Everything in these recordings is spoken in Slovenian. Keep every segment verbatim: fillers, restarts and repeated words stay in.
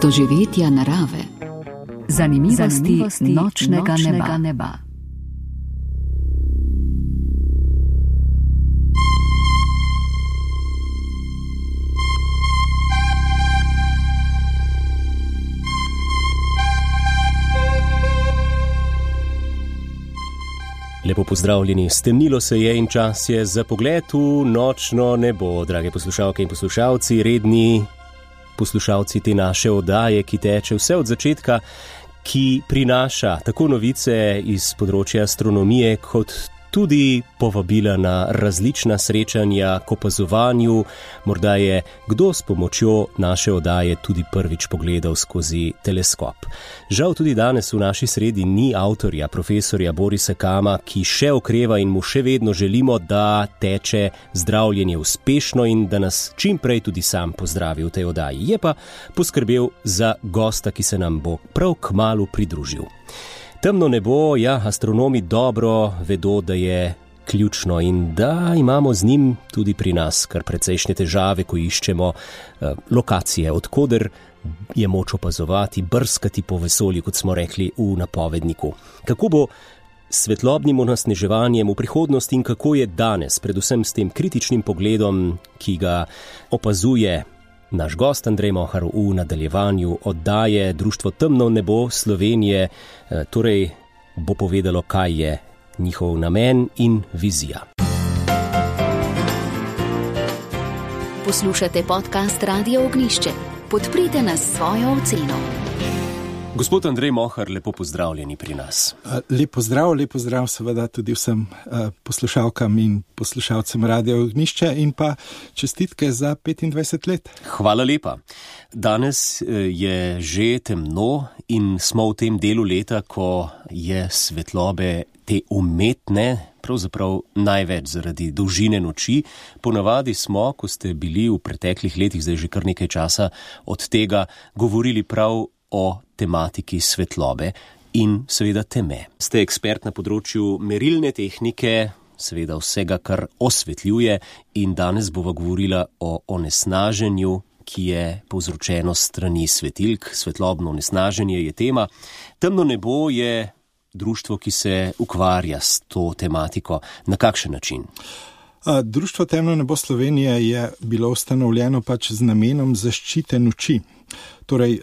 doživetja narave, zanimivosti, zanimivosti nočnega, nočnega neba. neba. Lepo pozdravljeni, stemnilo se je in čas je za pogled v nočno nebo, drage poslušalke in poslušalci, redni poslušalci te naše oddaje, ki teče vse od začetka, ki prinaša tako novice iz področja astronomije, kot tudi povabila na različna srečanja k opazovanju. Morda je kdo s pomočjo naše oddaje tudi prvič pogledal skozi teleskop. Žal tudi danes v naši sredi ni avtorja, profesorja Borisa Kama, ki še okreva in mu še vedno želimo, da teče zdravljenje uspešno in da nas čim prej tudi sam pozdravi v tej oddaji. Je pa poskrbel za gosta, ki se nam bo prav kmalu pridružil. Temno nebo, ja, astronomi dobro vedo, da je ključno in da imamo z njim tudi pri nas kar precejšnje težave, ko iščemo eh, lokacije, odkoder je moč opazovati, brskati po vesolju, kot smo rekli v napovedniku. Kako bo s svetlobnim onesnaževanjem v prihodnosti in kako je danes, predvsem s tem kritičnim pogledom, ki ga opazuje naš gost Andrej Mohar v nadaljevanju oddaje Društvo Temno nebo Slovenije, torej bo povedalo, kaj je njihov namen in vizija. Poslušate podcast Radia Ognjišče. Podprite nas s svojo oceno. Gospod Andrej Mohar, lepo pozdravljeni pri nas. Lep pozdrav, lep pozdrav seveda tudi vsem poslušalkam in poslušalcem Radia Ognjišče in pa čestitke za petindvajset let. Hvala lepa. Danes je že temno in smo v tem delu leta, ko je svetlobe te umetne, pravzaprav največ zaradi dolžine noči. Ponavadi smo, ko ste bili v preteklih letih, zdaj že kar nekaj časa od tega, govorili prav o tematiki svetlobe in seveda teme. Ste ekspert na področju merilne tehnike, seveda vsega, kar osvetljuje, in danes bova govorila o onesnaženju, ki je povzročeno s strani svetilk. Svetlobno onesnaženje je tema. Temno nebo je društvo, ki se ukvarja s to tematiko. Na kakšen način? Društvo Temno nebo Slovenije je bilo ustanovljeno pač z namenom zaščite noči. Torej,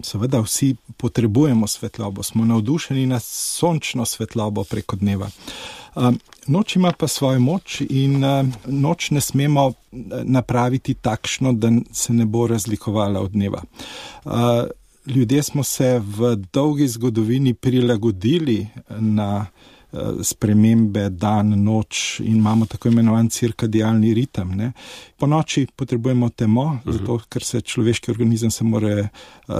seveda vsi potrebujemo svetlobo, smo navdušeni na sončno svetlobo preko dneva. Noč ima pa svojo moč in noč ne smemo napraviti takšno, da se ne bo razlikovala od dneva. Ljudje smo se v dolgi zgodovini prilagodili na spremembe dan, noč in imamo tako imenovan cirkadialni ritem. Ne. Po noči potrebujemo temo, uh-huh. zato ker se človeški organizem se mora uh,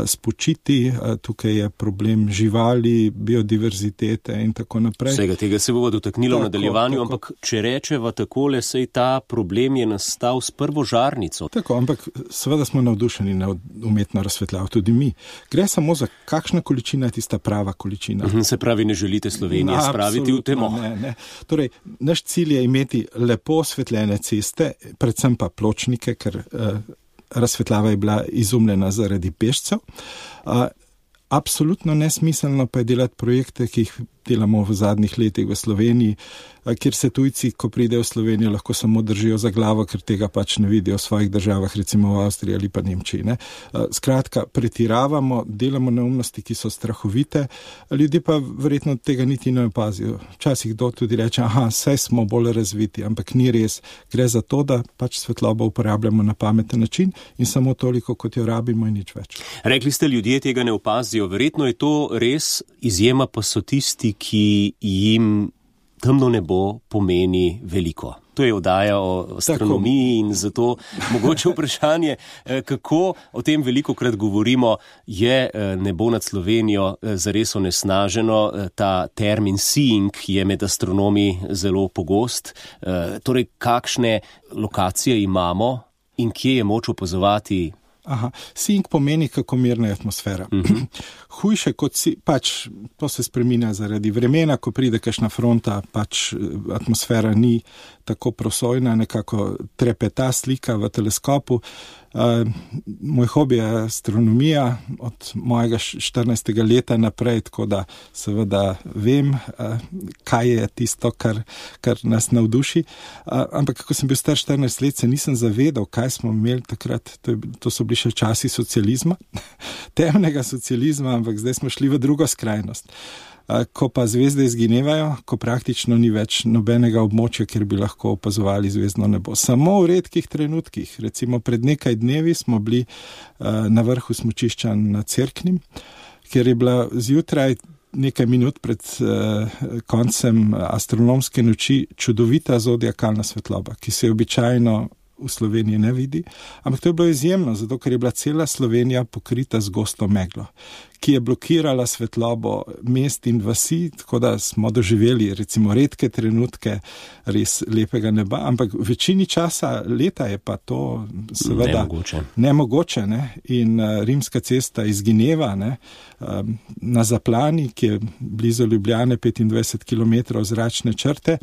spočiti, uh, tukaj je problem živali, biodiverzitete in tako naprej. Vsega tega se bo dotaknilo v nadaljevanju, tako. Ampak če rečeva takole, sej ta problem je nastal s prvo žarnico. Tako, ampak seveda smo navdušeni na umetno razsvetljavo, tudi mi. Gre samo za kakšna količina je tista prava količina. Uh-huh. Se pravi, ne želite Slovenije no, spraviti v temo. Ne, ne. Torej, naš cilj je imeti lepo osvetljene ceste, predvsem pa pločnike, ker uh, razsvetljava je bila izumljena zaradi pešcev. Uh, absolutno nesmiselno pa je delati projekte, ki jih delamo v zadnjih letih v Sloveniji, kjer se tujci, ko pridejo v Slovenijo, lahko samo držijo za glavo, ker tega pač ne vidijo v svojih državah, recimo v Avstriji ali pa Nemčiji. Ne. Skratka, pretiravamo, delamo neumnosti, ki so strahovite, ljudje pa verjetno tega niti ne opazijo. Včasih kdo tudi reče, aha, saj smo bolj razviti, ampak ni res. Gre za to, da pač svetlobo uporabljamo na pameten način in samo toliko, kot jo rabimo in nič več. Rekli ste, ljudje tega ne opazijo. Verjetno je to res, izjema pa so tisti, ki jim temno nebo pomeni veliko. To je oddaja o astronomiji in zato mogoče vprašanje, kako o tem velikokrat govorimo, je nebo nad Slovenijo zares onesnaženo. Ta termin seeing je med astronomi zelo pogost. Torej, kakšne lokacije imamo in kje je moč opazovati? Aha, seeing pomeni, kako mirna je atmosfera. Uh-huh. Hujše kot si, pač to se spreminja zaradi vremena, ko pride kakšna fronta, pač atmosfera ni tako prosojna, nekako trepeta slika v teleskopu. Uh, moj hobi je astronomija od mojega štirinajstega leta naprej, tako da seveda vem, uh, kaj je tisto, kar, kar nas navduši. Uh, ampak kako sem bil star štirinajst let, se nisem zavedal, kaj smo imeli takrat. To, je, to so bili še časi socializma, temnega socializma, ampak zdaj smo šli v drugo skrajnost. Ko pa zvezde izginevajo, ko praktično ni več nobenega območja, kjer bi lahko opazovali zvezdno nebo. Samo v redkih trenutkih, recimo pred nekaj dnevi smo bili na vrhu smučišča na Cerknem, kjer je bila zjutraj nekaj minut pred koncem astronomske noči čudovita zodiakalna svetloba, ki se običajno v Sloveniji ne vidi, ampak to je bilo izjemno, zato ker je bila cela Slovenija pokrita z gosto meglo, ki je blokirala svetlobo mest in vasi, tako da smo doživeli recimo redke trenutke res lepega neba, ampak v večini časa leta je pa to seveda nemogoče, nemogoče ne? In uh, Rimska cesta izgineva, ne? Um, na Zaplani, ki je blizu Ljubljane, petindvajset kilometrov zračne črte.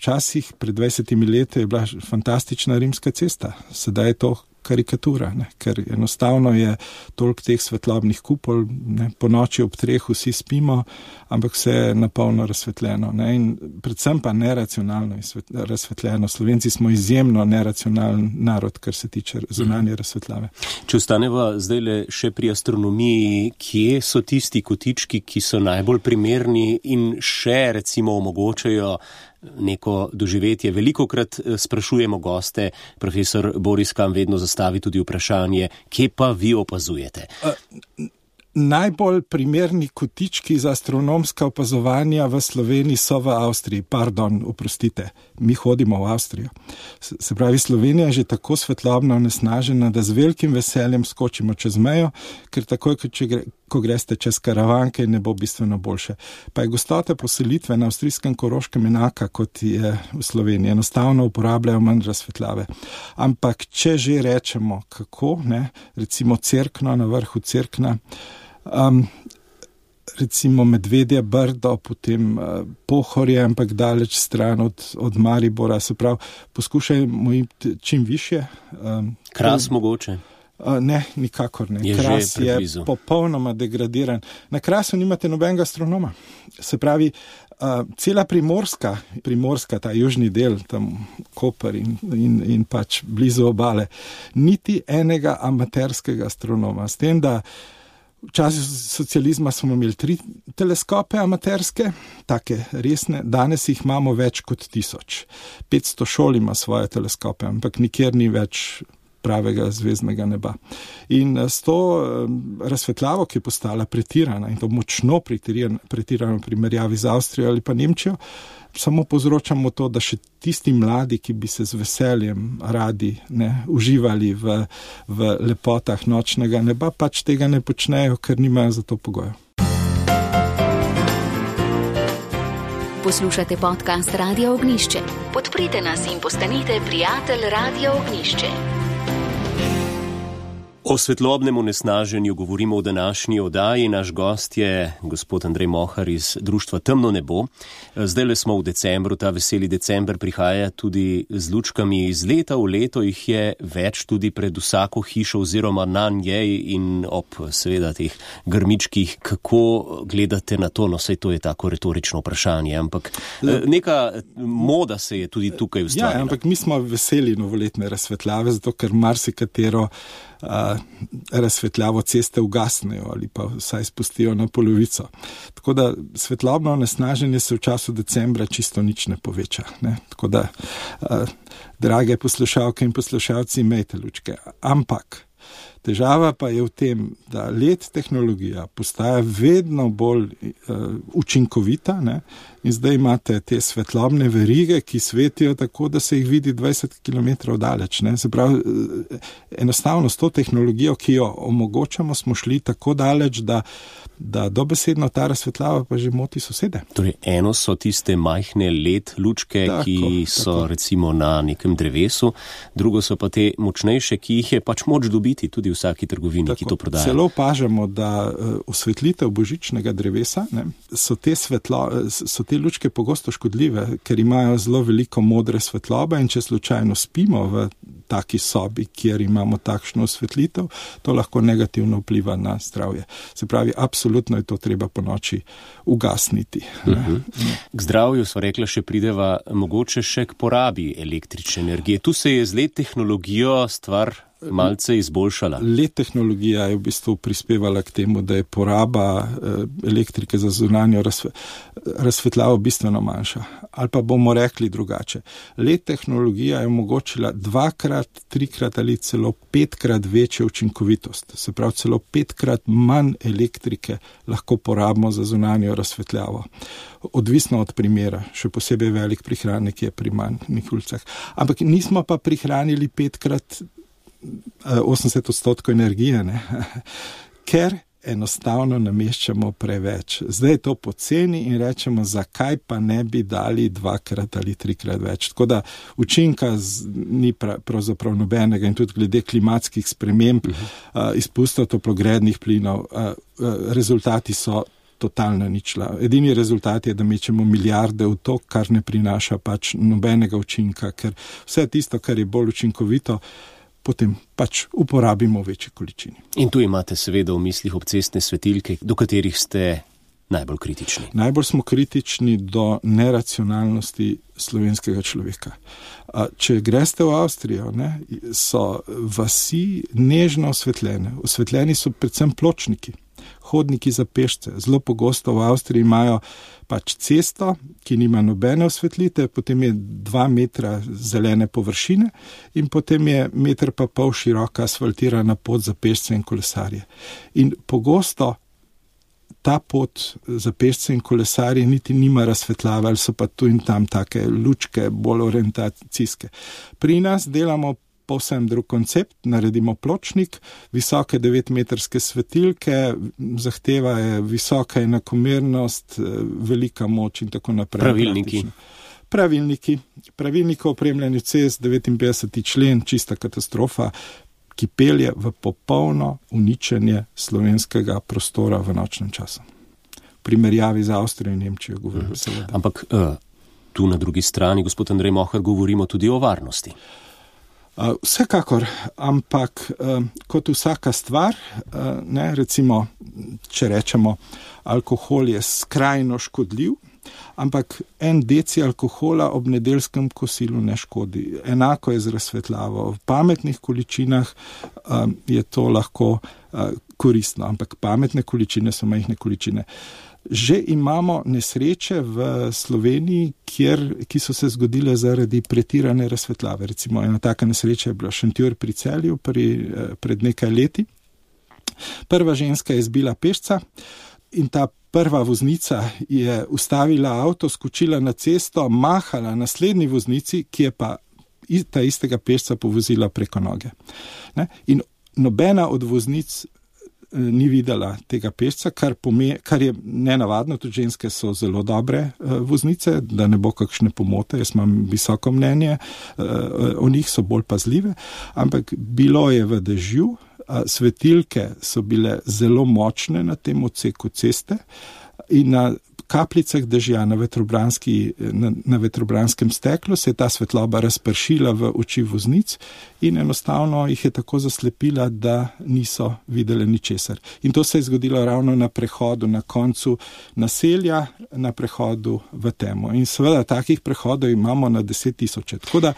Včasih, pred dvajsetimi leti, je bila fantastična rimska cesta. Sedaj je to karikatura, ne? Ker enostavno je toliko teh svetlobnih kupol, ne? Po noči ob treh vsi spimo, ampak vse je napolno razsvetljeno. Ne? In predvsem pa neracionalno razsvetljeno. Slovenci smo izjemno neracionalen narod, kar se tiče zunanje razsvetljave. Če ostaneva zdaj le še pri astronomiji, kje so tisti kotički, ki so najbolj primerni in še recimo omogočajo neko doživetje? Velikokrat sprašujemo goste, profesor Boris Kam vedno zastavi tudi vprašanje, kje pa vi opazujete? Uh, najbolj primerni kotički za astronomska opazovanja v Sloveniji so v Avstriji. Pardon, oprostite, mi hodimo v Avstrijo. Se pravi, Slovenija je že tako svetlobno onesnažena, da z velikim veseljem skočimo čez mejo, ker takoj, če gre, ko greste čez Karavanke, ne bo bistveno boljše. Pa je gostota poselitve na avstrijskem Koroškem enaka, kot je v Sloveniji. Enostavno uporabljajo manj razsvetljave. Ampak, če že rečemo, kako, ne, recimo Cerkno, na vrhu Cerkna, um, recimo Medvedje Brdo, potem uh, Pohorje, ampak daleč stran od, od Maribora, se pravi, poskušajmo iti čim više. Um, Kras mogoče? Uh, ne, nikakor ne. Je Kras je popolnoma degradiran. Na Krasu nimate nobenega astronoma. Se pravi, uh, cela Primorska, Primorska, ta južni del, tam Koper in, in, in pač blizu obale, niti enega amaterskega astronoma. S tem, da v času socializma smo imeli tri teleskope amaterske, take resne, danes jih imamo več kot tisoč. petsto šol ima svoje teleskope, ampak nikjer ni več pravega zvezdnega neba. In s to razsvetljavo, ki je postala pretirana, in to močno pretirana, pretirana v primerjavi z Avstrijo ali pa Nemčijo, samo povzročamo to, da še tisti mladi, ki bi se z veseljem radi ne, uživali v, v lepotah nočnega neba, pač tega ne počnejo, ker nimajo za to pogojev. Poslušate podcast Radio Ognjišče. Podprite nas in postanite prijatelj Radio Ognjišče. O svetlobnem onesnaženju govorimo v današnji oddaji. Naš gost je gospod Andrej Mohar iz društva Temno nebo. Zdaj le smo v decembru, ta veseli december prihaja tudi z lučkami. Iz leta v leto jih je več tudi pred vsako hišo oziroma na njej in ob seveda teh grmičkih. Kako gledate na to? No, saj to je tako retorično vprašanje, ampak neka moda se je tudi tukaj ustvarila. Ja, ampak mi smo veseli novoletne razsvetljave, zato ker marsikatero Uh, razsvetljavo ceste ugasnejo ali pa vsaj spustijo na polovico. Tako da svetlobno onesnaženje se v času decembra čisto nič ne poveča. Ne? Tako da, uh, drage poslušalke in poslušalci, imejte lučke. Ampak težava pa je v tem, da L E D tehnologija postaja vedno bolj uh, učinkovita, ne? In zdaj imate te svetlobne verige, ki svetijo tako, da se jih vidi dvajset kilometrov daleč. Ne? Se pravi, enostavno s to tehnologijo, ki jo omogočamo, smo šli tako daleč, da, da dobesedno ta razsvetljava pa že moti sosede. Torej, eno so tiste majhne L E D lučke, tako, ki so tako. Recimo na nekem drevesu, drugo so pa te močnejše, ki jih je pač moč dobiti tudi v vsaki trgovini, tako, ki to prodaja. Celo opažamo, da uh, osvetlitev božičnega drevesa, ne, so te svetlo, so te lučke pogosto škodljive, ker imajo zelo veliko modre svetlobe in če slučajno spimo v taki sobi, kjer imamo takšno osvetlitev, to lahko negativno vpliva na zdravje. Se pravi, absolutno je to treba po noči ugasniti. Uh-huh. K zdravju, sva rekla, še prideva mogoče še k porabi električne energije. Tu se je z let tehnologijo stvar malce izboljšala. Let tehnologija je v bistvu prispevala k temu, da je poraba elektrike za zunanjo razsvetljavo bistveno manjša. Ali pa bomo rekli drugače. Let tehnologija je omogočila dvakrat, trikrat ali celo petkrat večjo učinkovitost. Se pravi, celo petkrat manj elektrike lahko porabimo za zunanjo razsvetljavo. Odvisno od primera, še posebej velik prihranek je pri manjih ulicah. Ampak nismo pa prihranili petkrat osemdeset odstotkov energije, ne? Ker enostavno nameščamo preveč. Zdaj je to poceni in rečemo, zakaj pa ne bi dali dvakrat ali trikrat več. Tako da učinka z, ni pra, pravzaprav nobenega in tudi glede klimatskih sprememb, uh-huh. uh, izpustov toplogrednih plinov, uh, uh, rezultati so totalna ničla. Edini rezultat je, da mečemo milijarde v to, kar ne prinaša pač nobenega učinka, ker vse tisto, kar je bolj učinkovito, potem pač uporabimo v večji količini. In tu imate seveda v mislih obcestne svetilke, do katerih ste najbolj kritični. Najbolj smo kritični do neracionalnosti slovenskega človeka. Če greste v Avstrijo, ne, so vasi nežno osvetljene. Osvetljeni so predvsem pločniki, hodniki za pešce. Zelo pogosto v Avstriji imajo pač cesto, ki nima nobene osvetlite, potem je dva metra zelene površine in potem je meter pa pol široka asfaltirana pot za pešce in kolesarje. In pogosto ta pot za pešce in kolesarje niti nima razsvetljave, ali so pa tu in tam take lučke, bolj orientacijske. Pri nas delamo povsem drug koncept, naredimo pločnik, visoke devetmetrske svetilke, zahteva je visoka enakomernost, velika moč in tako naprej. Pravilniki. Pravilniki. Pravilniki o opremljanju cest, devetinpetdeseti člen, čista katastrofa, ki pelje v popolno uničenje slovenskega prostora v nočnem času. V primerjavi z Avstrijo in Nemčijo govorim uh-huh. seveda. Ampak uh, tu na drugi strani, gospod Andrej Mohar, govorimo tudi o varnosti. Uh, vsekakor, ampak uh, kot vsaka stvar, uh, ne, recimo, če rečemo, alkohol je skrajno škodljiv, ampak en deci alkohola ob nedeljskem kosilu ne škodi. Enako je z razsvetljavo. V pametnih količinah uh, je to lahko uh, koristno, ampak pametne količine so majhne količine. Že imamo nesreče v Sloveniji, kjer, ki so se zgodile zaradi pretirane razsvetljave. Recimo ena taka nesreča je bila Šentjur pri Celju pri, pred nekaj leti. Prva ženska je zbila pešca in ta prva voznica je ustavila avto, skočila na cesto, mahala naslednji voznici, ki je pa ta istega pešca povozila preko noge. Ne? In nobena od voznic ni videla tega pešca, kar, pome, kar je nenavadno, tudi ženske so zelo dobre uh, voznice, da ne bo kakšne pomote, jaz imam visoko mnenje, uh, o njih so bolj pazljive, ampak bilo je v dežju, uh, svetilke so bile zelo močne na tem odseku ceste in na kapljicah dežja na, na, na vetrobranskem steklu se je ta svetloba razpršila v oči voznic in enostavno jih je tako zaslepila, da niso videli ničesar. In to se je zgodilo ravno na prehodu, na koncu naselja, na prehodu v temo. In seveda takih prehodov imamo na deset tisoče. Tako da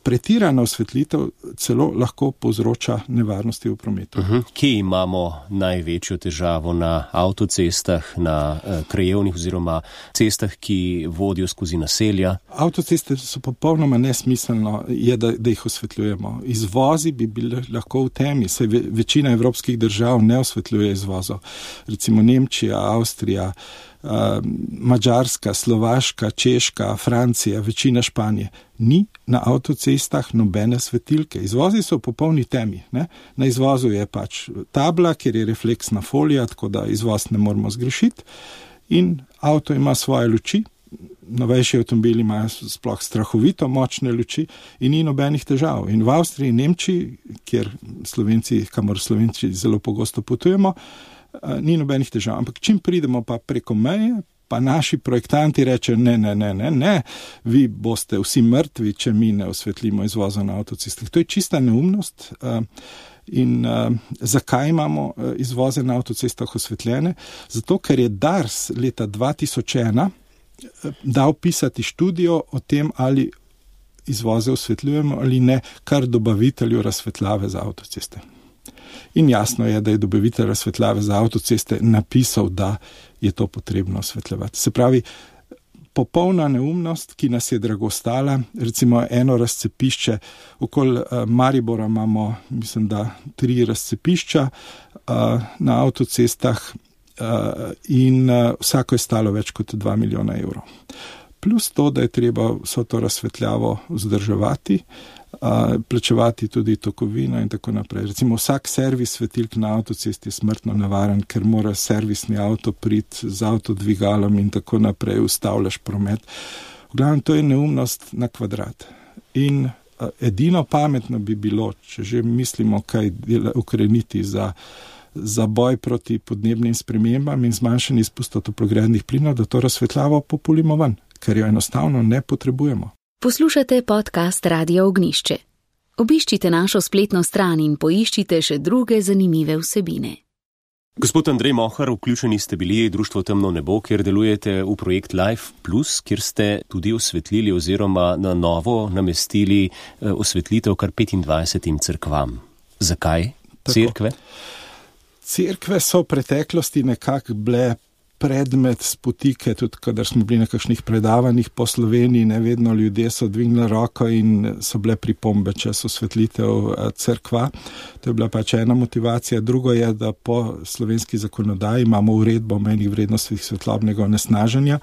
pretirana osvetlitev celo lahko povzroča nevarnosti v prometu. Uh-huh. Kje imamo največjo težavo? Na avtocestah, na eh, krajevnih oziroma cestah, ki vodijo skozi naselja? Avtoceste so popolnoma nesmiselno, je, da, da jih osvetljujemo. Izvozi bi bili lahko v temi, saj ve, večina evropskih držav ne osvetljuje izvozov. Recimo Nemčija, Avstrija, Uh, Madžarska, Slovaška, Češka, Francija, večina Španije. Ni na avtocestah nobene svetilke. Izvozi so v popolni temi. Ne? Na izvozu je pač tabla, kjer je refleksna folija, tako da izvoz ne moramo zgrešiti. In avto ima svoje luči. Novejši avtomobili imajo sploh strahovito močne luči in ni nobenih težav. In v Avstriji in Nemčiji, kjer Slovenci, kamor Slovenci zelo pogosto potujemo, ni nobenih težav. Ampak čim pridemo pa preko meje, pa naši projektanti rečejo, ne, ne, ne, ne, ne, vi boste vsi mrtvi, če mi ne osvetlimo izvoza na avtocestah. To je čista neumnost. In uh, zakaj imamo uh, izvoze na avtocestah osvetljene? Zato, ker je Dars leta dva tisoč ena uh, dal pisati študijo o tem, ali izvoze osvetljujemo ali ne, kar dobavitelju razsvetljave za avtoceste. In jasno je, da je dobavitelj razsvetljave za avtoceste napisal, da je to potrebno osvetljevati. Se pravi, popolna neumnost, ki nas je drago stala, recimo eno razcepišče, okoli uh, Maribora imamo, mislim, da tri razcepišča uh, na avtocestah uh, in uh, vsako je stalo več kot dva milijona evrov. Plus to, da je treba vso to razsvetljavo vzdrževati, uh, plačevati tudi tokovino in tako naprej. Recimo vsak servis svetilk na avtocesti je smrtno nevaren, ker mora servisni avto priti z avtodvigalom in tako naprej, ustavljaš promet. V glavnem, to je neumnost na kvadrat. In uh, edino pametno bi bilo, če že mislimo kaj dela, ukreniti za za boj proti podnebnim spremembam in zmanjšanje izpustov toplogrednih plinov, da to razsvetljavo populimo ven, ker jo enostavno ne potrebujemo. Poslušate podcast Radio Ognjišče. Obiščite našo spletno stran in poiščite še druge zanimive vsebine. Gospod Andrej Mohar, vključeni ste bili Društvo Temno nebo, kjer delujete v projekt Life Plus, kjer ste tudi osvetlili oziroma na novo namestili osvetlitev kar petindvajsetim cerkvam. Zakaj cerkve? Cerkve so v preteklosti nekako bile predmet spotike, tudi kadar smo bili na kakšnih predavanjih po Sloveniji, ne vedno ljudje so dvignili roko in so bile pripombe čez osvetlitev cerkva. To je bila pač ena motivacija. Drugo je, da po slovenski zakonodaji imamo uredbo o mejnih vrednostih svetlobnega onesnaženja.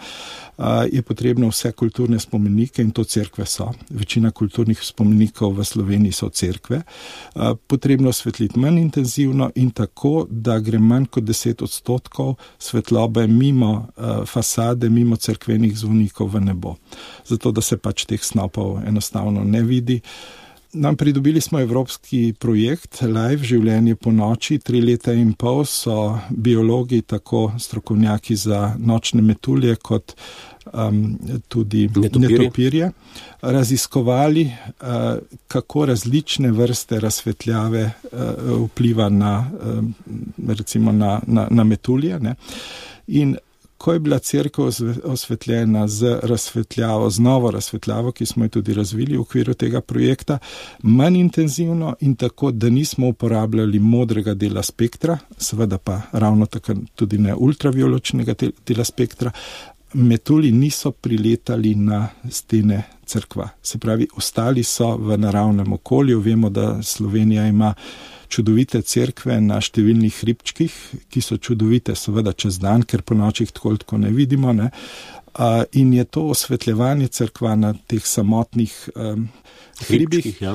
Je potrebno vse kulturne spomenike in to cerkve so. Večina kulturnih spomenikov v Sloveniji so cerkve. Potrebno osvetliti manj intenzivno in tako, da gre manj kot deset odstotkov svetlobe mimo uh, fasade, mimo cerkvenih zvonikov v nebo. Zato, da se pač teh snopov enostavno ne vidi. Nam pridobili smo evropski projekt Live, življenje po noči. Tri leta in pol so biologi, tako strokovnjaki za nočne metulje, kot um, tudi netopirje, netopirje raziskovali, uh, kako različne vrste razsvetljave uh, vpliva na, uh, recimo na, na, na metulje, ne. In ko je bila cerkev osvetljena z razsvetljavo, z novo razsvetljavo, ki smo jo tudi razvili v okviru tega projekta, manj intenzivno in tako, da nismo uporabljali modrega dela spektra, seveda pa ravno tako tudi ne ultraviolečnega dela spektra, metulji niso priletali na stene cerkva. Se pravi, ostali so v naravnem okolju. Vemo, da Slovenija ima čudovite cerkve na številnih hribčkih, ki so čudovite seveda čez dan, ker po nočih tako tako ne vidimo, ne? Uh, in je to osvetljevanje cerkva na teh samotnih um, hribih ja.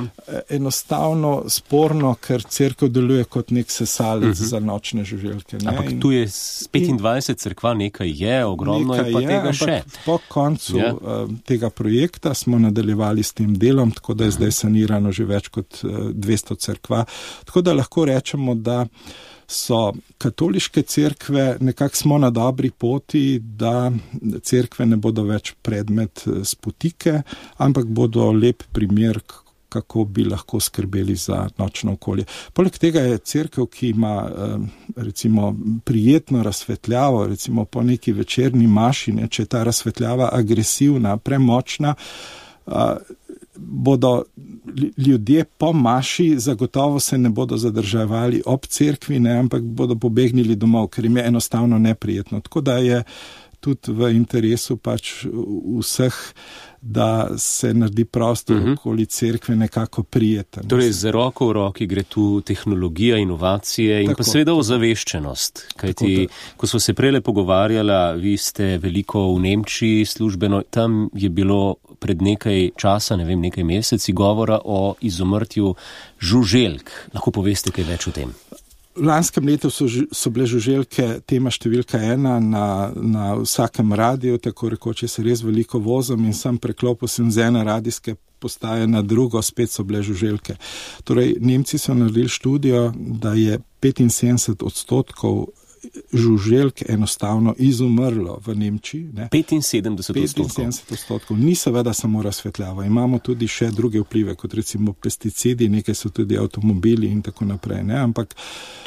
enostavno sporno, ker cerkev deluje kot nek sesalec uh-huh. za nočne žuželke. Ne? Ampak tu je petindvajset cerkva, nekaj je, ogromno je pa je, tega še. Po koncu yeah. uh, tega projekta smo nadaljevali s tem delom, tako da je uh-huh. zdaj sanirano že več kot uh, dvesto cerkva. Tako da lahko rečemo, da so katoliške cerkve, nekako smo na dobri poti, da cerkve ne bodo več predmet spotike, ampak bodo lep primer, kako bi lahko skrbeli za nočno okolje. Poleg tega je cerkev, ki ima recimo prijetno razsvetljavo, recimo po neki večerni maši, ne, če je ta razsvetljava agresivna, premočna, bodo ljudje po maši zagotovo se ne bodo zadrževali ob cerkvi, ne, ampak bodo pobegnili domov, ker jim je enostavno neprijetno. Tako da je tudi v interesu pač vseh, da se naredi prostor uh-huh. okoli cerkve nekako prijeten. Torej, z roko v roki gre tu tehnologija, inovacije in tako, pa seveda ozaveščenost. Kajti, tako, ko smo se prele pogovarjala, vi ste veliko v Nemčiji službeno, tam je bilo pred nekaj časa, ne vem, nekaj meseci govora o izumrtju žuželk. Lahko poveste kaj več o tem? V lanskem letu so, so bile žuželke tema številka ena na, na vsakem radiju, tako rekoče se res veliko vozom in sem preklopil sem z ene radijske postaje na drugo, spet so bile žuželke. Torej, Nemci so naredili študijo, da je petinsedemdeset odstotkov žuželk enostavno izumrlo v Nemčiji. Ne. petinsedemdeset odstotkov. petinsedemdeset odstotkov. Ni seveda samo razsvetljava. Imamo tudi še druge vplive, kot recimo pesticidi, nekaj so tudi avtomobili in tako naprej. Ne. Ampak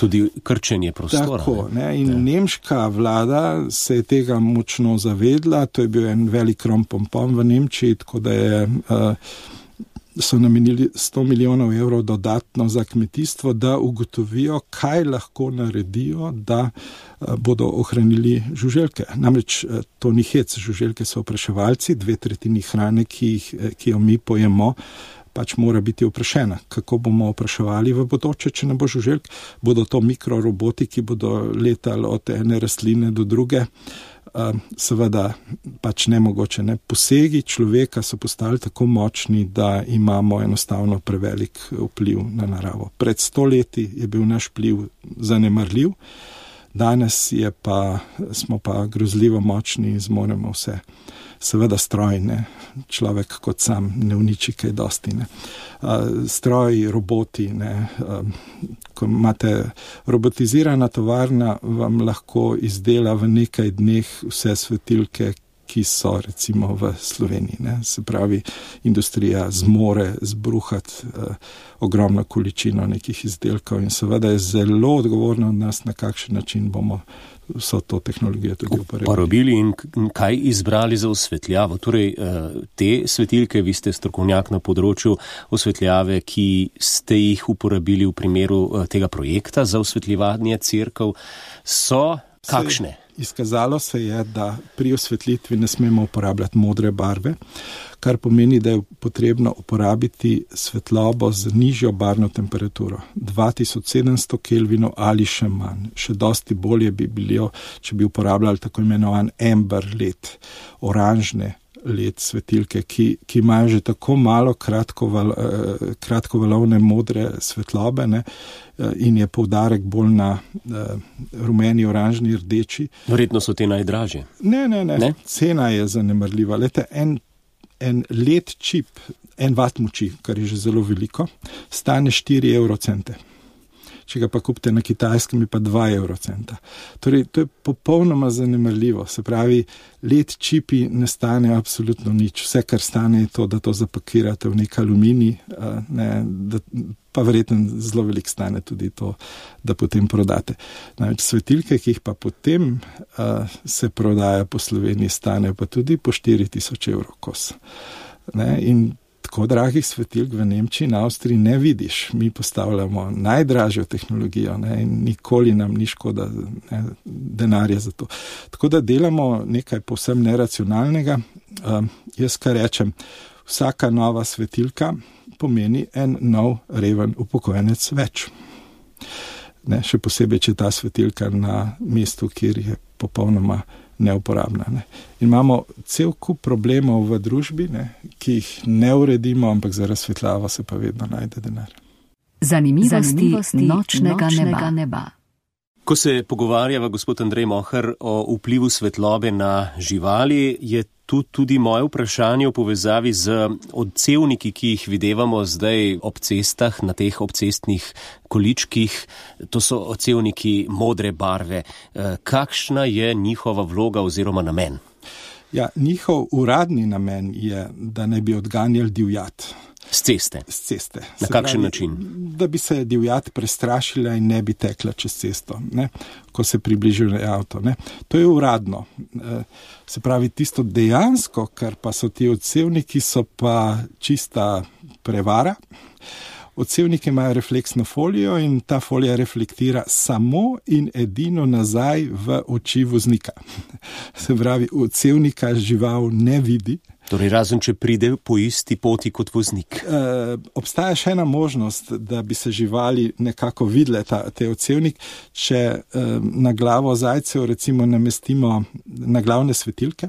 tudi krčenje prostora. Tako, ne. In ne. Nemška vlada se je tega močno zavedla. To je bil en velik rompompom v Nemčiji, tako da je uh, so namenili sto milijonov evrov dodatno za kmetijstvo, da ugotovijo, kaj lahko naredijo, da bodo ohranili žuželke. Namreč to ni hec, žuželke so opraševalci, dve tretjini hrane, ki, jih, ki jo mi pojemo, pač mora biti oprašena. Kako bomo opraševali v bodoče, če ne bo žuželk? Bodo to mikroroboti, ki bodo letali od ene rastline do druge. Seveda pač nemogoče. Ne? Posegi človeka so postali tako močni, da imamo enostavno prevelik vpliv na naravo. Pred sto leti je bil naš vpliv zanemarljiv, danes je pa, smo pa grozljivo močni in zmoremo vse. Seveda stroj, ne? Človek kot sam ne uniči kaj dosti. Ne? Stroji, roboti, ne? Ko imate robotizirana tovarna, vam lahko izdela v nekaj dneh vse svetilke, ki so recimo v Sloveniji. Ne? Se pravi, industrija zmore zbruhati eh, ogromno količino nekih izdelkov in seveda je zelo odgovorno od nas, na kakšen način bomo vso to tehnologijo tudi uporabili. Uporabili in kaj izbrali za osvetljavo? Torej, te svetilke, vi ste strokovnjak na področju osvetljave, ki ste jih uporabili v primeru tega projekta za osvetljevanje cerkev, so kakšne? Izkazalo se je, da pri osvetlitvi ne smemo uporabljati modre barve, kar pomeni, da je potrebno uporabiti svetlobo z nižjo barvno temperaturo, dva tisoč sedemsto kelvinov ali še manj. Še dosti bolje bi bilo, če bi uporabljali tako imenovan amber led, oranžne led svetilke, ki, ki imajo že tako malo kratkoval, eh, kratkovalovne modre svetlobe, ne, in je poudarek bolj na eh, rumeni, oranžni, rdeči. Verjetno so te najdražje. Ne, ne, ne, ne? Cena je zanemarljiva. Lete, en, en led čip, en vat moči, kar je že zelo veliko, stane štiri evrocente. Če ga pa kupite na Kitajskem, je pa dva evrocenta. Torej, to je popolnoma zanemarljivo. Se pravi, led čipi ne stane absolutno nič. Vse, kar stane, je to, da to zapakirate v nek aluminij, ne, da, pa verjetno zelo veliko stane tudi to, da potem prodate. Največ svetilke, ki jih pa potem a, se prodaja po Sloveniji, stane pa tudi po štiri tisoč evrov kos. Ne, in tako dragih svetilk v Nemčiji in Avstriji ne vidiš. Mi postavljamo najdražjo tehnologijo, ne, in nikoli nam ni škoda, ne, denarja za to. Tako da delamo nekaj povsem neracionalnega. Uh, jaz kar rečem, vsaka nova svetilka pomeni en nov reven upokojenec več. Ne, še posebej, če ta svetilka na mestu, kjer je popolnoma neuporabna. Ne. In imamo cel kup problemov v družbi, ne, ki jih ne uredimo, ampak za razsvetljavo se pa vedno najde denar. Zanimivosti, Zanimivosti nočnega, nočnega neba. neba. Ko se pogovarjava, gospod Andrej Mohar, o vplivu svetlobe na živali, je tu tudi moje vprašanje v povezavi z odcevniki, ki jih videvamo zdaj ob cestah, na teh obcestnih količkih. To so odcevniki modre barve. Kakšna je njihova vloga oziroma namen? Ja, njihov uradni namen je, da ne bi odganjali divjad. Z ceste? Z ceste. Na kakšen način? Da bi se divjad prestrašila in ne bi tekla čez cesto, ne? Ko se približuje avto. Ne? To je uradno. Se pravi, tisto dejansko, kar pa so ti odsevniki, so pa čista prevara. Odsevniki imajo refleksno folijo in ta folija reflektira samo in edino nazaj v oči voznika. Se pravi, odsevnika žival ne vidi. Torej, razen če pride po isti poti kot voznik. E, obstaja še ena možnost, da bi se živali nekako videle ta, te odsevnik, če e, na glavo zajcev recimo namestimo na glavne svetilke.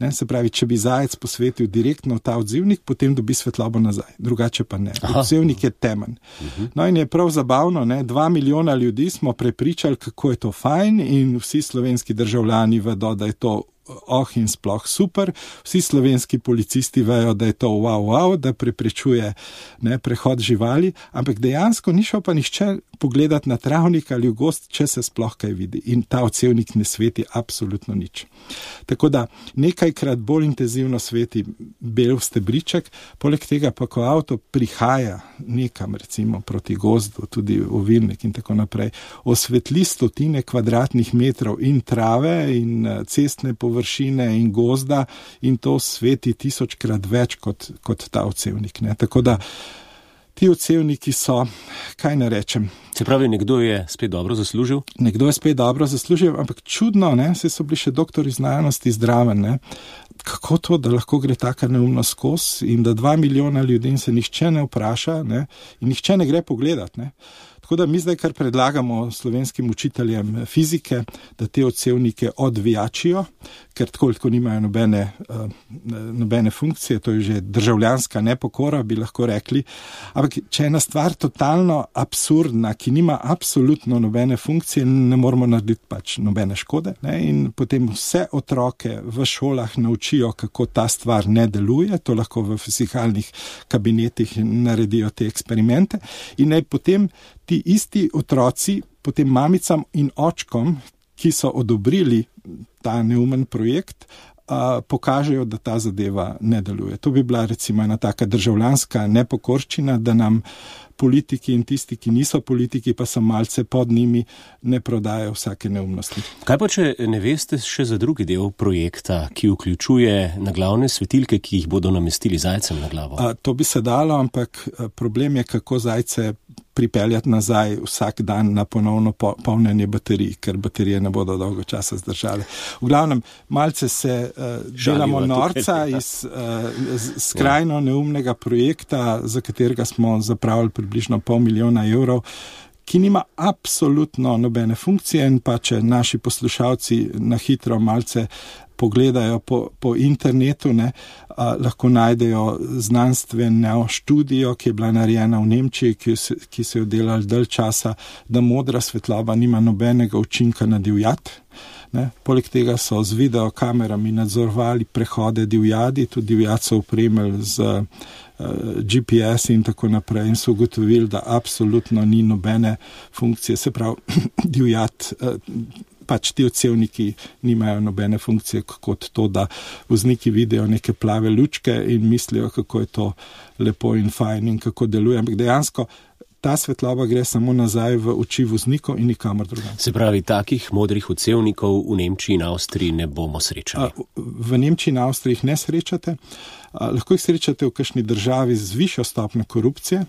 Ne, se pravi, če bi zajec posvetil direktno ta odzivnik, potem dobi svetlobo nazaj. Drugače pa ne. Odsevnik je temen. Uh-huh. No in je prav zabavno, ne, dva milijona ljudi smo prepričali, kako je to fajn in vsi slovenski državljani vedo, da je to oh in sploh super. Vsi slovenski policisti vejo, da je to wow, wow, da preprečuje ne, prehod živali, ampak dejansko ni šel pa nihče pogledati na travnik ali v gozd, če se sploh kaj vidi. In ta odsevnik ne sveti absolutno nič. Tako da nekajkrat bolj intenzivno sveti bel stebriček, poleg tega pa, ko avto prihaja nekam, recimo proti gozdu, tudi ovilnik in tako naprej, osvetli stotine kvadratnih metrov in trave in cestne površine in gozda in to sveti tisočkrat več kot, kot ta odsevnik. Ne. Tako da ti odsevniki so, kaj ne rečem. Se pravi, nekdo je spet dobro zaslužil? Nekdo je spet dobro zaslužil, ampak čudno, ne, se so bili še doktori znanosti zdraven, ne. Kako to, da lahko gre taka neumnost skozi in da dva milijona ljudi se nihče ne vpraša, ne, in nihče ne gre pogledat, ne. Tako da mi zdaj kar predlagamo slovenskim učiteljem fizike, da te odsevnike odvijačijo, ker tako tako nimajo nobene, uh, nobene funkcije, to je že državljanska nepokora, bi lahko rekli. Ampak če je ena stvar totalno absurdna, ki nima absolutno nobene funkcije, ne moramo narediti pač nobene škode, ne? In potem vse otroke v šolah naučijo, kako ta stvar ne deluje, to lahko v fizikalnih kabinetih naredijo te eksperimente in naj potem ti isti otroci, potem mamicam in očkom, ki so odobrili ta neumen projekt, a, pokažejo, da ta zadeva ne deluje. To bi bila recimo ena taka državljanska nepokorščina, da nam politiki in tisti, ki niso politiki, pa so malce pod njimi, ne prodajajo vsake neumnosti. Kaj pa, če ne veste še za drugi del projekta, ki vključuje naglavne svetilke, ki jih bodo namestili zajcem na glavo? A, to bi se dalo, ampak problem je, kako zajce pripeljati nazaj vsak dan na ponovno po, polnjenje baterij, ker baterije ne bodo dolgo časa zdržale. V glavnem, malce se uh, delamo norca iz uh, skrajno neumnega projekta, za katerega smo zapravili približno pol milijona evrov, ki nima absolutno nobene funkcije in pa če naši poslušalci na hitro malce pogledajo po, po internetu, ne, a, lahko najdejo znanstveno študijo, ki je bila narejena v Nemčiji, ki, ki se je delali dalj časa, da modra svetloba nima nobenega učinka na divjad. Ne. Poleg tega so z videokamerami nadzorovali prehode divjadi, tudi divjad so opremili z uh, G P S in tako naprej in so ugotovili, da absolutno ni nobene funkcije. Se pravi, divjad uh, pač ti odsevniki nimajo nobene funkcije kot to, da vozniki vidijo neke plave lučke in mislijo, kako je to lepo in fajn in kako deluje. Ampak dejansko ta svetloba gre samo nazaj v oči voznikov in nikamor drugam. Se pravi, takih modrih odsevnikov v Nemčiji in Avstriji ne bomo srečali? V Nemčiji in Avstriji jih ne srečate. Lahko jih srečate v kakšni državi z višjo stopnjo korupcije,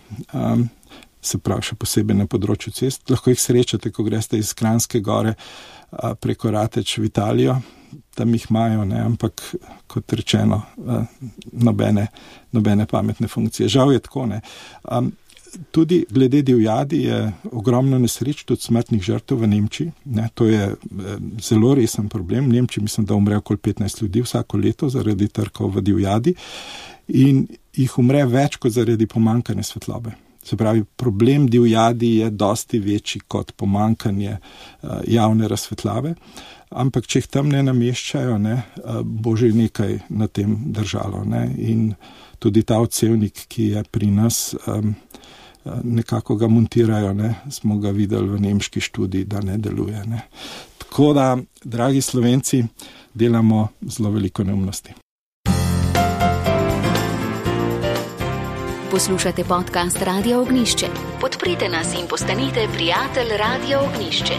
se pravi še posebej na področju cest. Lahko jih srečate, ko greste iz Kranjske gore preko Rateč v Italijo, tam jih imajo, ne, ampak kot rečeno, nobene, nobene pametne funkcije. Žal je tako, ne. Tudi glede divjadi je ogromno nesreč, tudi smrtnih žrtev v Nemčiji. Ne, to je zelo resen problem. V Nemčiji mislim, da umre okoli petnajst ljudi vsako leto zaradi trkov v divjadi in jih umre več kot zaradi pomanjkanja svetlobe. Se pravi, problem divjadi je dosti večji kot pomanjkanje uh, javne razsvetljave, ampak če jih tam ne nameščajo, ne, uh, bo že nekaj na tem držalo. Ne. In tudi ta odsevnik, ki je pri nas, um, nekako ga montirajo, ne, smo ga videli v nemški študiji, da ne deluje. Ne. Tako da, dragi Slovenci, delamo zelo veliko neumnosti. Poslušate podcast Radia Ognišče. Podprite nas in postanite prijatelj Radia Ognišče.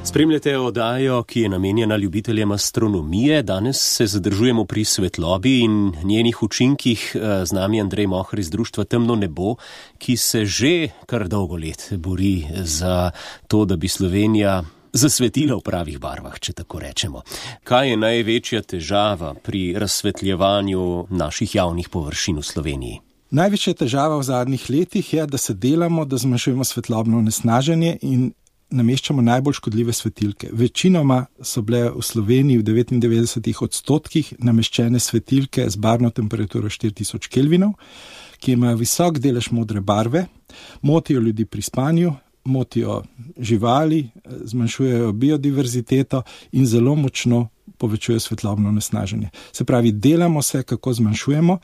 Spremljate oddajo, ki je namenjena ljubiteljem astronomije. Danes se zadržujemo pri svetlobi in njenih učinkih. Z nami Andrej Mohr iz društva Temno nebo, ki se že kar dolgo let bori za to, da bi Slovenija zasvetila v pravih barvah, če tako rečemo. Kaj je največja težava pri razsvetljevanju naših javnih površin v Sloveniji? Največja težava v zadnjih letih je, da se delamo, da zmanjšujemo svetlobno onesnaženje in nameščamo najbolj škodljive svetilke. Večinoma so bile v Sloveniji v devetindevetdesetih odstotkih nameščene svetilke z barvno temperaturo štiri tisoč kelvinov, ki imajo visok delež modre barve, motijo ljudi pri spanju, motijo živali, zmanjšujejo biodiverziteto in zelo močno povečujejo svetlobno onesnaženje. Se pravi, delamo se, kako zmanjšujemo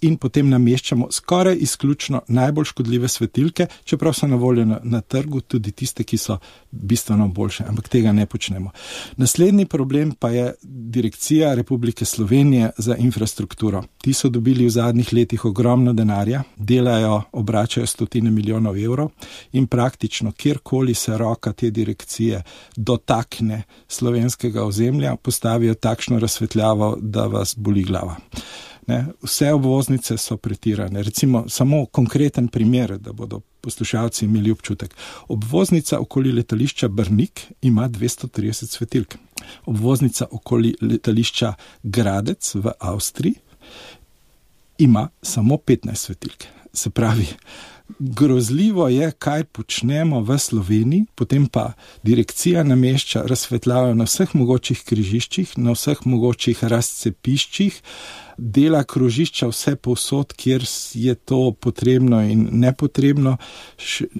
in potem nameščamo skoraj izključno najbolj škodljive svetilke, čeprav so na voljo na, na trgu tudi tiste, ki so bistveno boljše, ampak tega ne počnemo. Naslednji problem pa je Direkcija Republike Slovenije za infrastrukturo. Ti so dobili v zadnjih letih ogromno denarja, delajo, obračajo stotine milijonov evrov in praktično kjerkoli se roka te direkcije dotakne slovenskega ozemlja, postavijo takšno razsvetljavo, da vas boli glava. Ne, vse obvoznice so pretirane. Recimo samo konkreten primer, da bodo poslušalci imeli občutek. Obvoznica okoli letališča Brnik ima dvesto trideset svetilk. Obvoznica okoli letališča Gradec v Avstriji ima samo petnajst svetilk. Se pravi, grozljivo je, kaj počnemo v Sloveniji, potem pa direkcija namešča razsvetljavo na vseh mogočih križiščih, na vseh mogočih razcepiščih, dela krožišča vse povsod, kjer je to potrebno in nepotrebno,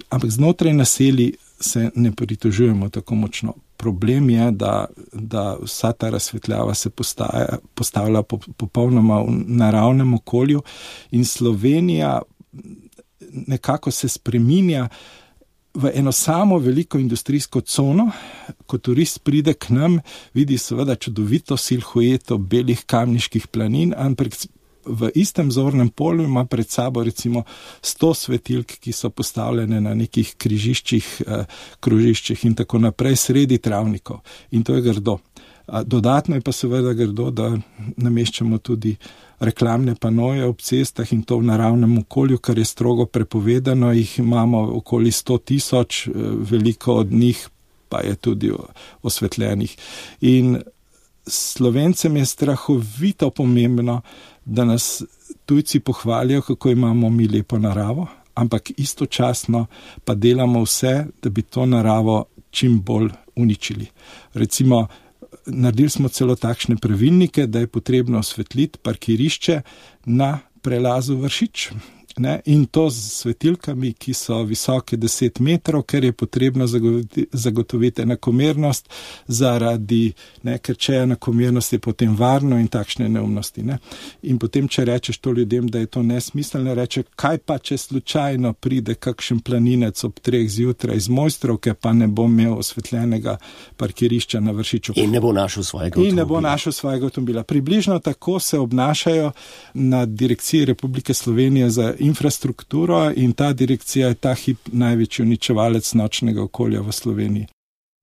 ampak znotraj naselij se ne pritožujemo tako močno. Problem je, da, da vsa ta razsvetljava se postaja, postavlja popolnoma v naravnem okolju in Slovenija nekako se spreminja v eno samo veliko industrijsko cono. Ko turist pride k nam, vidi seveda čudovito silhueto belih kamniških planin, ampak v istem zornem polju ima pred sabo recimo sto svetilk, ki so postavljene na nekih križiščih, eh, krožiščih in tako naprej, sredi travnikov. In to je grdo. Dodatno je pa seveda grdo, da nameščamo tudi reklamne panoje ob cestah in to v naravnem okolju, kar je strogo prepovedano. Jih imamo okoli sto tisoč, veliko od njih pa je tudi osvetljenih. In Slovencem je strahovito pomembno, da nas tujci pohvalijo, kako imamo mi lepo naravo, ampak istočasno pa delamo vse, da bi to naravo čim bolj uničili. Recimo, naredili smo celo takšne pravilnike, da je potrebno osvetliti parkirišče na prelazu Vršič. Ne? In to z svetilkami, ki so visoke deset metrov, ker je potrebno zagotoviti, zagotoviti enakomernost zaradi, ne, ker če je enakomernost, je potem varno in takšne neumnosti. Ne? In potem, če rečeš to ljudem, da je to nesmiselno, reče, kaj pa, če slučajno pride kakšen planinec ob treh zjutraj iz Mojstrovke, pa ne bo imel osvetljenega parkirišča na Vršiču. In ne bo našel svojega avtomobila. In ne bo našel svojega avtomobila. Približno tako se obnašajo na Direkciji Republike Slovenije za infrastrukturo in ta direkcija je ta hip največji uničevalec nočnega okolja v Sloveniji.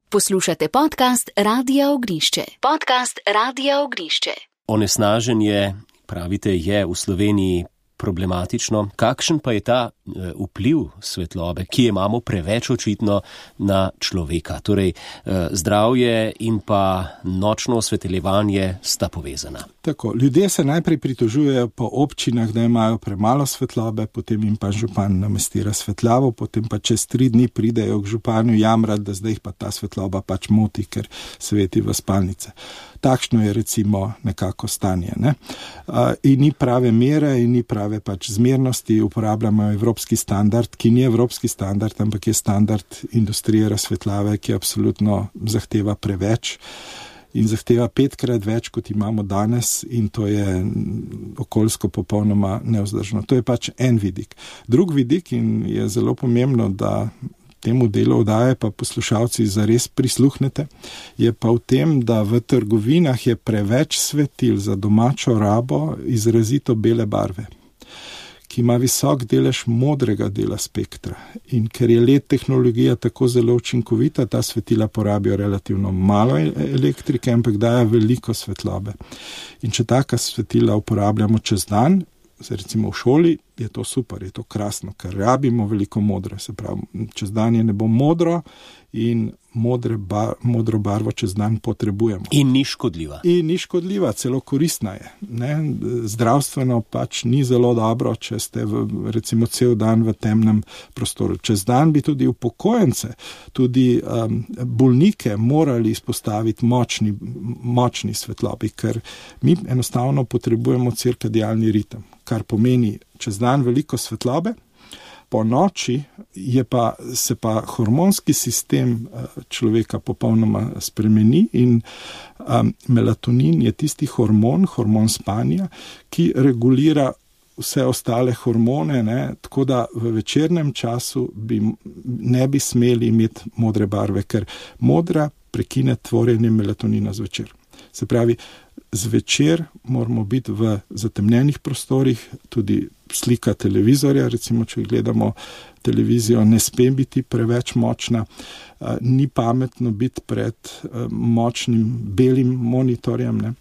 Poslušate podcast Radia Ognišče. Podcast Radia Ognišče. Onesnaženje, pravite, je v Sloveniji problematično. Kakšen pa je ta e, vpliv svetlobe, ki je imamo preveč očitno na človeka? Torej, e, zdravje in pa nočno osvetljevanje sta povezana. Tako, ljudje se najprej pritožujejo po občinah, da imajo premalo svetlobe, potem jim pa župan namesti razsvetljavo, potem pa čez tri dni pridejo k županju jamrati, da zdaj pa ta svetloba pač moti, ker sveti v spalnice. Takšno je recimo nekako stanje. Ne? In ni prave mere in ni prave pač zmernosti, uporabljamo evropski standard, ki ni evropski standard, ampak je standard industrije razsvetljave, ki absolutno zahteva preveč in zahteva petkrat več, kot imamo danes in to je okoljsko popolnoma nevzdržno. To je pač en vidik. Drug vidik in je zelo pomembno, da temu delu oddaje pa poslušalci zares prisluhnete, je pa v tem, da v trgovinah je preveč svetil za domačo rabo izrazito bele barve, ki ima visok delež modrega dela spektra. In ker je L E D tehnologija tako zelo učinkovita, ta svetila porabijo relativno malo elektrike, ampak dajo veliko svetlobe. In če taka svetila uporabljamo čez dan, recimo v šoli, je to super, je to krasno, ker rabimo veliko modre, se pravi, čez dan je nebo modro in modre bar, modro barvo čez dan potrebujemo. In ni škodljiva. In ni škodljiva, celo koristna je. Ne? Zdravstveno pač ni zelo dobro, če ste v, recimo cel dan v temnem prostoru. Čez dan bi tudi upokojence, tudi um, bolnike morali izpostaviti močni, močni svetlobi, ker mi enostavno potrebujemo cirkadialni ritem, kar pomeni čez dan veliko svetlobe, Po noči je pa, se pa hormonski sistem človeka popolnoma spremeni in um, melatonin je tisti hormon, hormon spanja, ki regulira vse ostale hormone, ne, tako da v večernem času bi, ne bi smeli imeti modre barve, ker modra prekine tvorjenje melatonina zvečer. Se pravi, zvečer moramo biti v zatemnjenih prostorih, tudi slika televizorja, recimo, če gledamo televizijo, ne sme biti preveč močna, ni pametno biti pred močnim belim monitorjem, ne.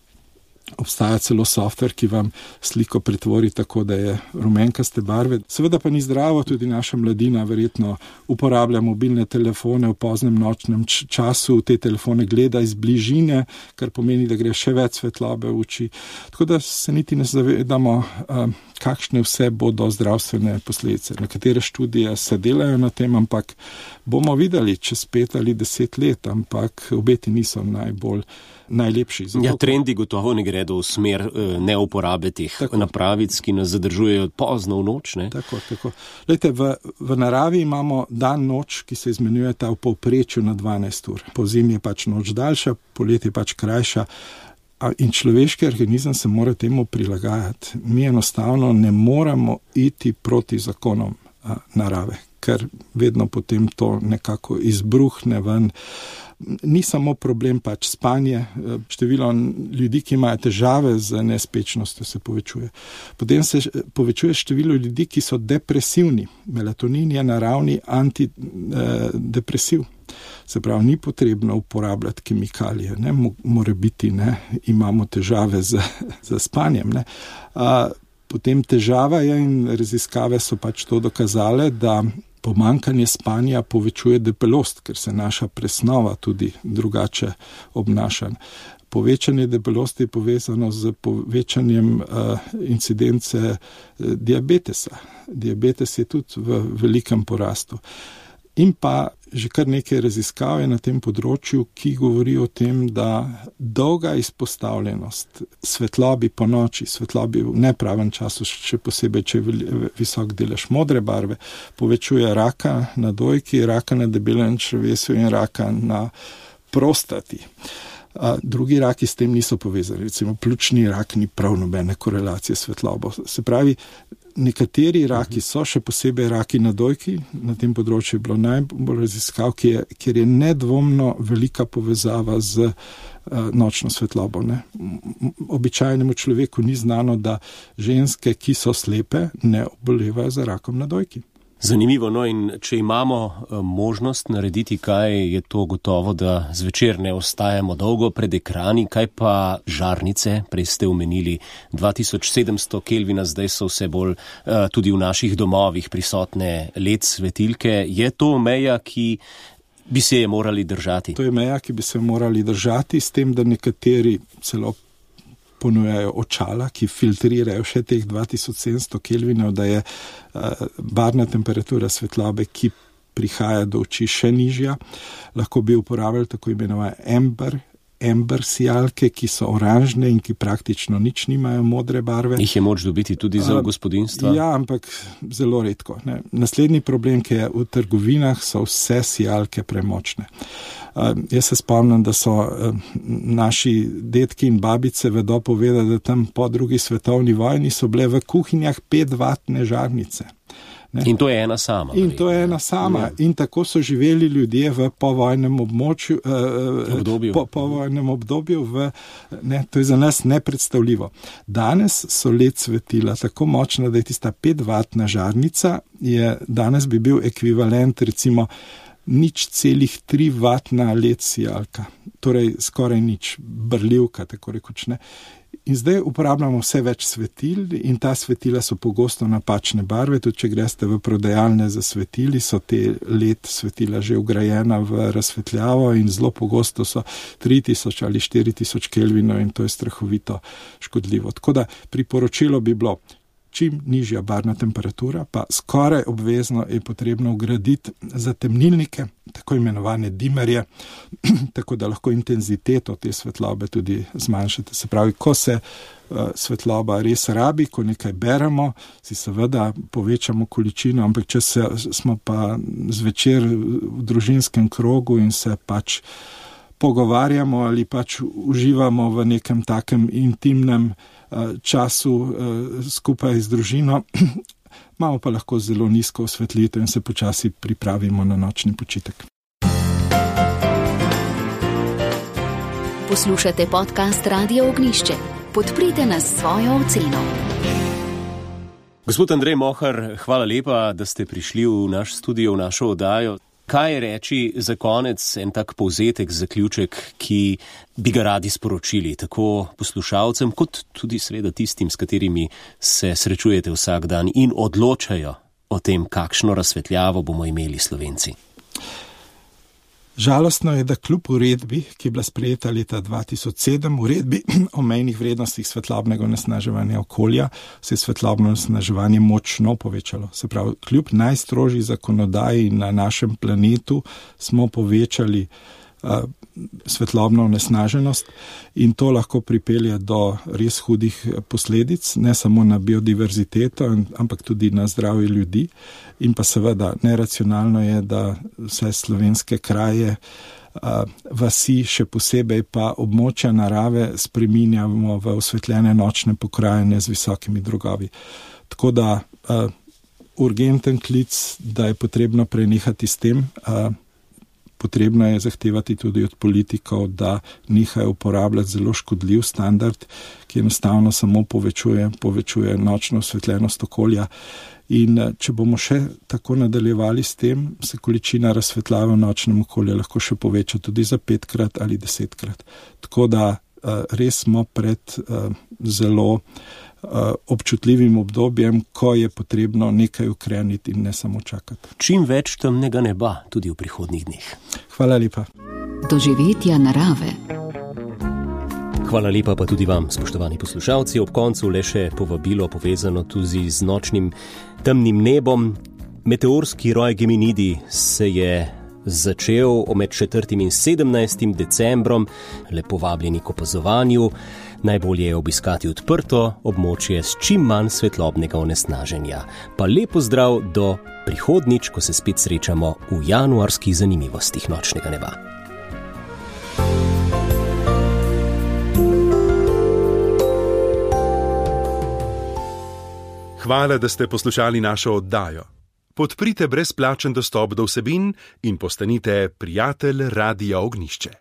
Obstaja celo softver, ki vam sliko pretvori tako, da je rumenkaste barve. Seveda pa ni zdravo, tudi naša mladina verjetno uporablja mobilne telefone v poznem nočnem času, te telefone gleda iz bližine, kar pomeni, da gre še več svetlobe v oči. Tako da se niti ne zavedamo, kakšne vse bodo zdravstvene posledice. Nekatere študije se delajo na tem, ampak bomo videli čez pet ali deset let, ampak obeti niso najbolj najlepši. Ja, trendi gotovo ne gredo v smer neuporabe teh napravic, ki nas zadržujejo pozno v noč, ne? Tako, tako. Lejte, v, v naravi imamo dan noč, ki se izmenjujeta v povprečju na dvanajst ur. Po zimi je pač noč daljša, poleti je pač krajša. In človeški organizem se mora temu prilagajati. Mi enostavno ne moramo iti proti zakonom a, narave, ker vedno potem to nekako izbruhne ven. Ni samo problem pač spanje, število ljudi, ki imajo težave z nespečnostjo, se povečuje. Potem se povečuje število ljudi, ki so depresivni. Melatonin je naravni antidepresiv. Se pravi, ni potrebno uporabljati kemikalije, ne, mora biti, ne, imamo težave z, z spanjem, ne. A, potem težava je in raziskave so pač to dokazale, da pomanjkanje spanja povečuje debelost, ker se naša presnova tudi drugače obnaša. Povečanje debelosti je povezano z povečanjem uh, incidence uh, diabetesa. Diabetes je tudi v velikem porastu. In pa že kar nekaj raziskav je na tem področju, ki govori o tem, da dolga izpostavljenost svetlobi po noči, svetlobi v nepravem času, še posebej, če je visok delež modre barve, povečuje raka na dojki, raka na debelem črevesu in raka na prostati. A drugi raki s tem niso povezani. Recimo pljučni rak ni prav nobene korelacije s svetlobo. Se pravi, nekateri raki so, še posebej raki na dojki, na tem področju je bilo najbolj raziskav, kjer je nedvomno velika povezava z uh, nočno svetlobo. Ne? Običajnemu človeku ni znano, da ženske, ki so slepe, ne obolevajo za rakom na dojki. Zanimivo, no, in če imamo možnost narediti kaj, je to gotovo, da zvečer ne ostajamo dolgo pred ekrani. Kaj pa žarnice? Prej ste omenili dva tisoč sedemsto Kelvina, zdaj so vse bolj uh, tudi v naših domovih prisotne L E D svetilke. Je to meja, ki bi se je morali držati? To je meja, ki bi se morali držati, s tem, da nekateri celo ponujajo očala, ki filtrirajo še teh dva tisoč sedemsto Kelvinov, da je uh, barvna temperatura svetlobe, ki prihaja do oči, še nižja. Lahko bi uporabljali tako imenovane amber, amber sijalke, ki so oranžne in ki praktično nič nimajo modre barve. Jih je moč dobiti tudi za gospodinjstva? Ja, ampak zelo redko. Ne. Naslednji problem, ki je v trgovinah, so vse sijalke premočne. Uh, jaz se spomnim, da so uh, naši dedki in babice vedo povedati, da tam po drugi svetovni vojni so bile v kuhinjah petvatne žarnice. Ne? In to je ena sama. In to je ena sama. In tako so živeli ljudje v povojnem območju, uh, obdobju. Po, povojnem obdobju. V, ne, to je za nas nepredstavljivo. Danes so L E D svetila tako močna, da je tista petvatna žarnica, je, danes bi bil ekvivalent recimo nič celih tri vatna L E D sijalka, torej skoraj nič, brljivka, tako rekoč, ne. In zdaj uporabljamo vse več svetil in ta svetila so pogosto napačne barve, tudi če greste v prodajalne za svetili, so te L E D svetila že vgrajena v razsvetljavo in zelo pogosto so tri tisoč ali štiri tisoč Kelvinov in to je strahovito škodljivo. Tako da priporočilo bi bilo, čim nižja barvna temperatura, pa skoraj obvezno je potrebno vgraditi zatemnilnike, tako imenovane dimerje, tako da lahko intenziteto te svetlobe tudi zmanjšate. Se pravi, ko se uh, svetloba res rabi, ko nekaj beremo, si seveda povečamo količino, ampak če se, smo pa zvečer v družinskem krogu in se pač pogovarjamo ali pač uživamo v nekem takem intimnem uh, času uh, skupaj z družino, imamo pa lahko zelo nizko osvetlitev in se počasi pripravimo na nočni počitek. Poslušate podcast Radio Ognjišče. Podprite nas s svojo oceno. Gospod Andrej Mohar, hvala lepa, da ste prišli v naš studio, v našo oddajo. Kaj reči za konec, en tak povzetek, zaključek, ki bi ga radi sporočili tako poslušalcem, kot tudi seveda tistim, s katerimi se srečujete vsak dan in odločajo o tem, kakšno razsvetljavo bomo imeli Slovenci? Žalostno je, da kljub uredbi, ki je bila sprejeta leta dva tisoč sedem, uredbi o mejnih vrednostih svetlobnega onesnaževanja okolja, se je svetlobno onesnaževanje močno povečalo. Se pravi, kljub najstrožji zakonodaji na našem planetu smo povečali uh, svetlobno onesnaženost in to lahko pripelje do res hudih posledic, ne samo na biodiverziteto, ampak tudi na zdravje ljudi. In pa seveda neracionalno je, da vse slovenske kraje, vasi, še posebej pa območja narave spreminjamo v osvetljene nočne pokrajine z visokimi drogovi. Tako da urgenten klic, da je potrebno prenehati s tem. Potrebno je zahtevati tudi od politikov, da nehajo uporabljati zelo škodljiv standard, ki enostavno samo povečuje, povečuje nočno osvetljenost okolja. In če bomo še tako nadaljevali s tem, se količina razsvetljave v nočnem okolju lahko še poveča tudi za petkrat ali desetkrat. Tako da res smo pred zelo občutljivim obdobjem, ko je potrebno nekaj ukreniti in ne samo čakati. Čim več temnega neba tudi v prihodnjih dneh. Hvala lepa. Doživetja narave. Hvala lepa pa tudi vam, spoštovani poslušalci. Ob koncu le še povabilo povezano tudi z nočnim temnim nebom. Meteorski roj Geminidi se je začel med četrtim in sedemnajstim decembrom. Lepo vabljeni k opazovanju. Najbolje je obiskati odprto območje s čim manj svetlobnega onesnaženja. Pa lepo zdrav do prihodnjič, ko se spet srečamo v januarskih zanimivostih nočnega neba. Hvala, da ste poslušali našo oddajo. Podprite brezplačen dostop do vsebin in postanite prijatelj Radia Ognjišče.